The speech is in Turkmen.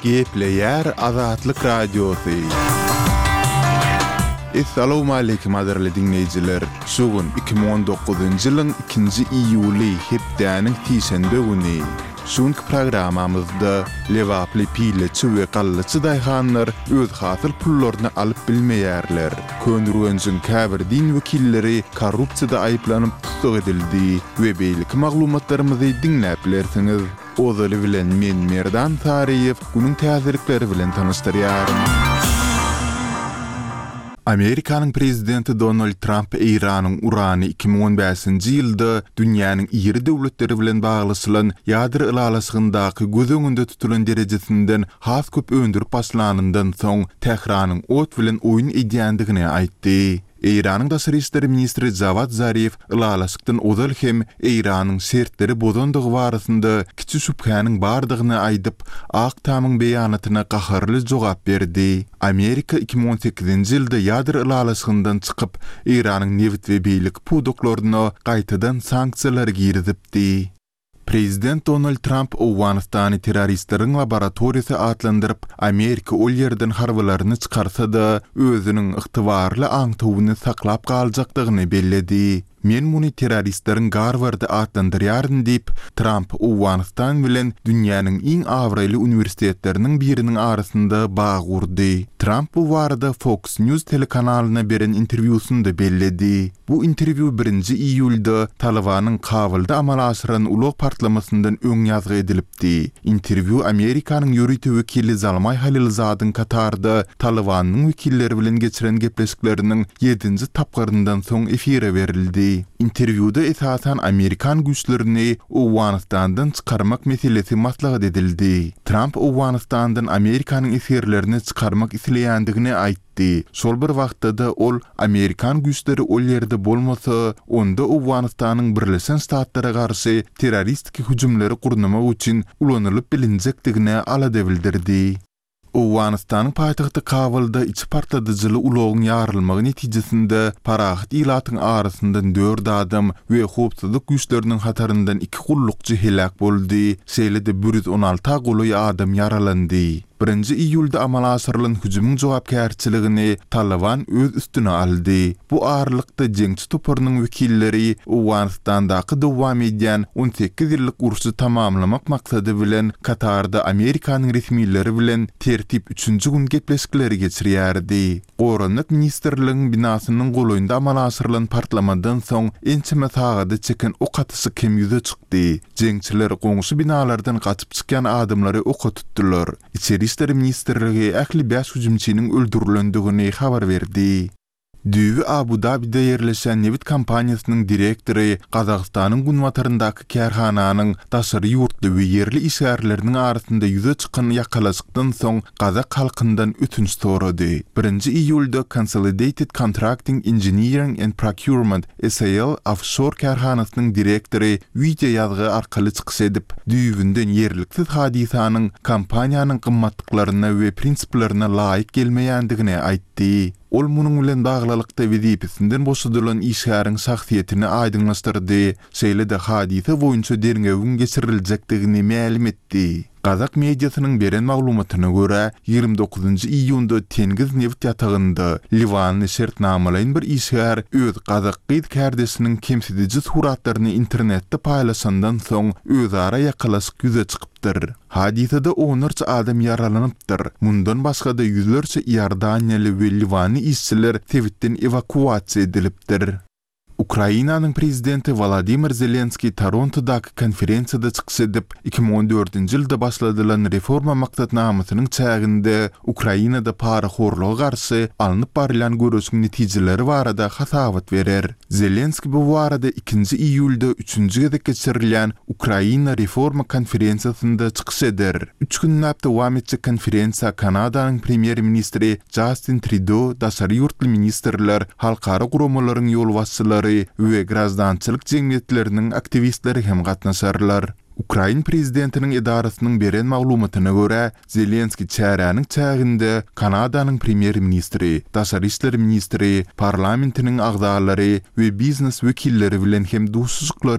Gepleýär Azatlyk Radiosy. Essalawmaleýkim gadyrly diňleýjiler! Şu gün 2019-njy ýylyň ikinji iýuly, hepdäniň sişenbe güni. Şu günki programmamyzda lebaply pileçi we gallaçy daýhanlar öz hasyl pullaryny alyp bilmeýärler. Köneürgenjiň käbir din wekilleri korrupsiýada aýyplanyp tussag edildi we beýleki maglumatlarymyzy diňläp bilersiňiz. Ozaly bilen men Merdan Saryýew günüň täzelikleri bilen tanyşdyrýaryn. Amerikanyň prezidenti Donald Tramp Eýranyň urany 2015-nji ýylda dünýäniň iri döwletleri bilen baglaşylan ýadro ylalaşygyndaky göz öňünde tutulan derejesinden has köp öndürip başlanyndan soň Tähranyň ot bilen oýun edýändigini aýtdy. Eýranyň daşary işler ministri Jawad Zarif ylalaşykdan ozal hem Eýranyň şertleri bozandygy barasynda kiçi şübhäniň bardygyny aýdyp, Ak Tamyň beýanatyna gaharly jogap berdi. Amerika 2018-nji ýylda ýadro ylalaşygyndan çykyp, Eýranyň nebit we beýleki pudaklaryna gaýtadan sanksiýalary girizipdi. Prezident Donald Tramp Owganystany terroristleriň laboratoriýasy atlandyryp, Amerika ol ýerden harbylaryny çykarsa-da, özüniň ygtybarly aňtawyny saklap galjakdygyny belledi. Men muny terroristleriň Garwardy atlandyrýaryn diýip, Tramp Owganystan bilen dünýäniň iň abraýly uniwersitetleriniň biriniň arasynda bag urdy. Tramp bu barada Fox News telekanalyna beren interwýusynda belledi. Bu interwýu birinji iýulda Talybanyň Kabulda amala aşyran ulag partlamasyndan öň ýazgy edilipdi. Interwýu Amerikanyň ýörite wekili Zalmaý Halilzadyň Katarda Talybanyň wekilleri bilen geçiren gepleşikleriniň ýedinji tapgyryndan soň efire berildi. Interwýuda esasan amerikan güýçlerini Owganystandan çykarmak meselesi maslahat edildi. Tramp Owganystandan Amerikanyň esgerlerini çykarmak isleýändigini aýtdy. aýtdy. Şol bir wagtda-da ol amerikan güýçleri ol ýerde bolmasa, onda Owganystanyň Birleşen Ştatlara garşy terroristiki hüjümleri gurnamak üçin ulanylyp bilinjekdigine alada bildirdi. Owganystanyň paýtagty Kabulda içi partladyjyly ulagyň ýarylmagy netijesinde parahat ilatyň arasyndan dört adam we howpsuzlyk güýçleriniň hataryndan iki gullukçy heläk boldy, şeýle-de 116 golaý adam ýaralandy. Birinji iýulda amala aşyrylan hüjümiň jogapkärçiligini Talyban öz üstüne aldy. Bu aralykda jeňçi toparynyň wekilleri Owganystandaky dowam edýän 18 ýyllyk urşy tamamlamak maksady bilen Katarda Amerikanyň resmileri bilen tertip üçünji gün gepleşikleri geçirýärdi. Goranmak ministrligiň binasynyň golaýynda amala aşyrylan partlamadan soň ençeme sagada çeken ok atyşyk hem ýüze çykdy. Jeňçiler goňşy binalardan gaçyp çykýan adamlary oka tutdular. Içeri işler ministrligi ähli bäş hüjümçiniň öldürilendigini habar berdi. Düýbi Abu-Dabide ýerleşýän nebit kompaniýasynyň direktory Gazagystanyň günbataryndaky kärhananyň daşary ýurtly we ýerli işgärleriniň arasynda ýüze çykan ýakalaşykdan soň gazak halkyndan ötünç sorady. Birinji iýulda Consolidated Contracting Engineering and Procurement SAL ofşor kärhanasynyň direktory wideoýazgy arkaly çykyş edip, düýbünden ýerliksiz hadysanyň kompaniýanyň gymmatlyklaryna we prinsiplerine laýyk gelmeýändigini aýtdy. Ol munuň bilen baglylykda wezipesinden boşadylan işgäriň şahsyýetini aýdyňlaşdyrdy, şeýle-de hadysa boýunça derňewiň geçiriljekdigini mälim etdi. Gazak mediasynyň beren maglumatyna görä, 29 iýunda Tengiz nebit ýatagynda liwanly şertnamalaýyn bir işgär öz gazak gyz kärdeşiniň kemsidiji suratlaryny internetde paýlaşandan soň özara ýakalaşyk ýüze çykypdyr. Hadysada onlarça adam ýaralanypdyr. Mundan başga-da ýüzlerçe iordaniýaly we liwanly işçiler sebitden ewakuasiýa edilipdir. Ukrainanyň prezidenti Wolodymyr Zelenskiý Torontodaky konferensiýada çykyş edip, 2014-nji ýylda başladylan reforma maksatnamasynyň çäginde Ukrainada parahorluga garşy alnyp barylýan göreşiň netijeleri barada hasabat berer. Zelenskiý bu barada ikinji iýulda üçünji gezek geçirilýän Ukraina reforma konferensiýasynda çykyş eder. Üç günläp dowam etjek konferensiýa Kanadanyň premýer-ministri Jastin Trýudo, daşary ýurtly ministrler, halkara guramalaryň ýolbaşçylary we graždançylyk jemgyýetleriniň aktiwistleri hem gatnaşarlar. Ukrain prezidentiniň edarasynyň beren maglumatyna görä, Zelenskiý çäräniň çäginde Kanadanyň premýer-ministri, daşary işler ministri, parlamentiniň agzalary we biznes wekilleri bilen hem duşuşyklary.